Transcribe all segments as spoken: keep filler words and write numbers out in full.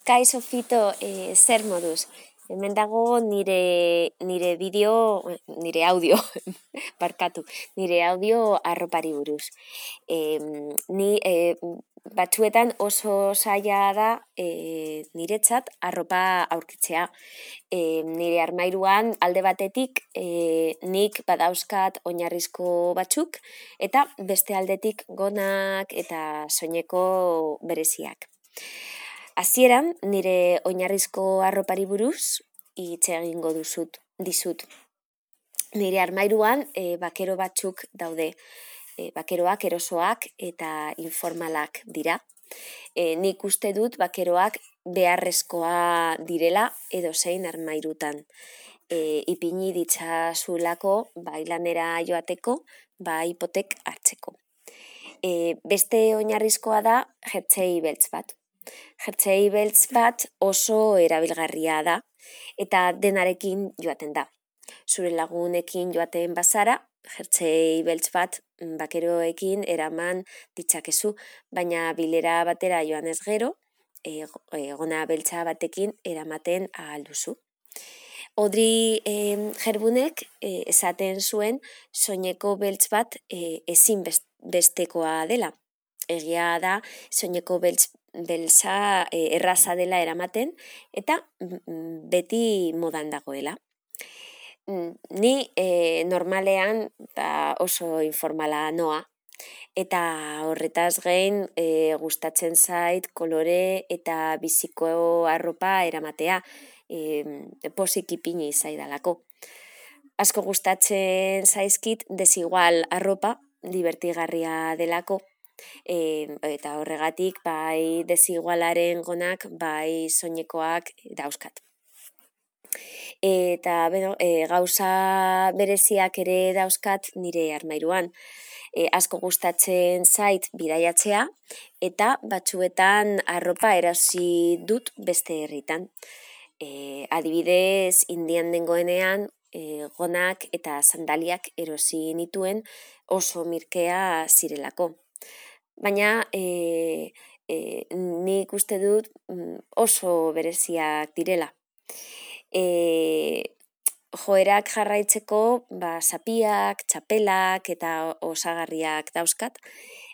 Kaixo Fito, e, zer moduz? Hemen dago nire, nire bideo, nire audio, barkatu, nire audio arropari buruz. E, ni e, batzuetan oso zaila da e, niretzat arropa aurkitzea. E, nire armairuan alde batetik e, nik badauzkat oinarrizko batzuk eta beste aldetik gonak eta soineko bereziak. Hasieran nire oinarrizko arropari buruz hitz egingo duzut, dizut. Nire armairuan e, bakero batzuk daude. E, bakeroak erosoak eta informalak dira. E, nik uste dut bakeroak beharrezkoa direla edozein armairutan. E, ipini ditzazulako bai lanera joateko, bai hipotek hartzeko. E, beste oinarrizkoa da jertsei beltz bat. Jertsei beltz bat oso erabilgarria da eta denarekin joaten da. Zure lagunekin joaten bazara, jertsei beltz bat bakeroekin eraman ditzakezu, baina bilera batera joanez gero, e, gona beltza batekin eramaten ahal duzu. Audrey e, Hepburnek e, esaten zuen soineko beltz bat e, ezin bestekoa dela. Egia da soineko beltz beltza e, erraza dela eramaten eta beti modan dagoela. Ni e, normalean ba, oso informala noa eta horretaz gain e, gustatzen zait kolore eta biziko arropa eramatea, e, pozik ipini zaidalako. Asko gustatzen zaizkit desigual arropa, divertigarria delako, e, eta horregatik bai desigualaren gonak, bai soinekoak dauzkat. Eta bueno, e, gauza bereziak ere dauzkat nire armairuan. E, asko gustatzen zait bidaiatzea eta batzuetan arropa erosi dut beste herritan. E, adibidez, Indian nengoenean e, gonak eta sandaliak erosi nituen oso mirkea zirelako. Baina e, e, nik uste dut oso bereziak direla. E, joerak jarraitzeko ba, zapiak, txapelak eta osagarriak dauzkat,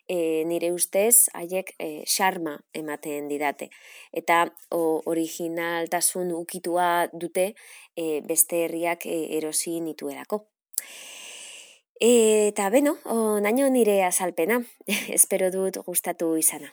e, nire ustez haiek e, xarma ematen didate. Eta o, originaltasun ukitua dute e, beste herriak e, erosi nituelako. Eta beno, naino nire azalpena, espero dut gustatu izana.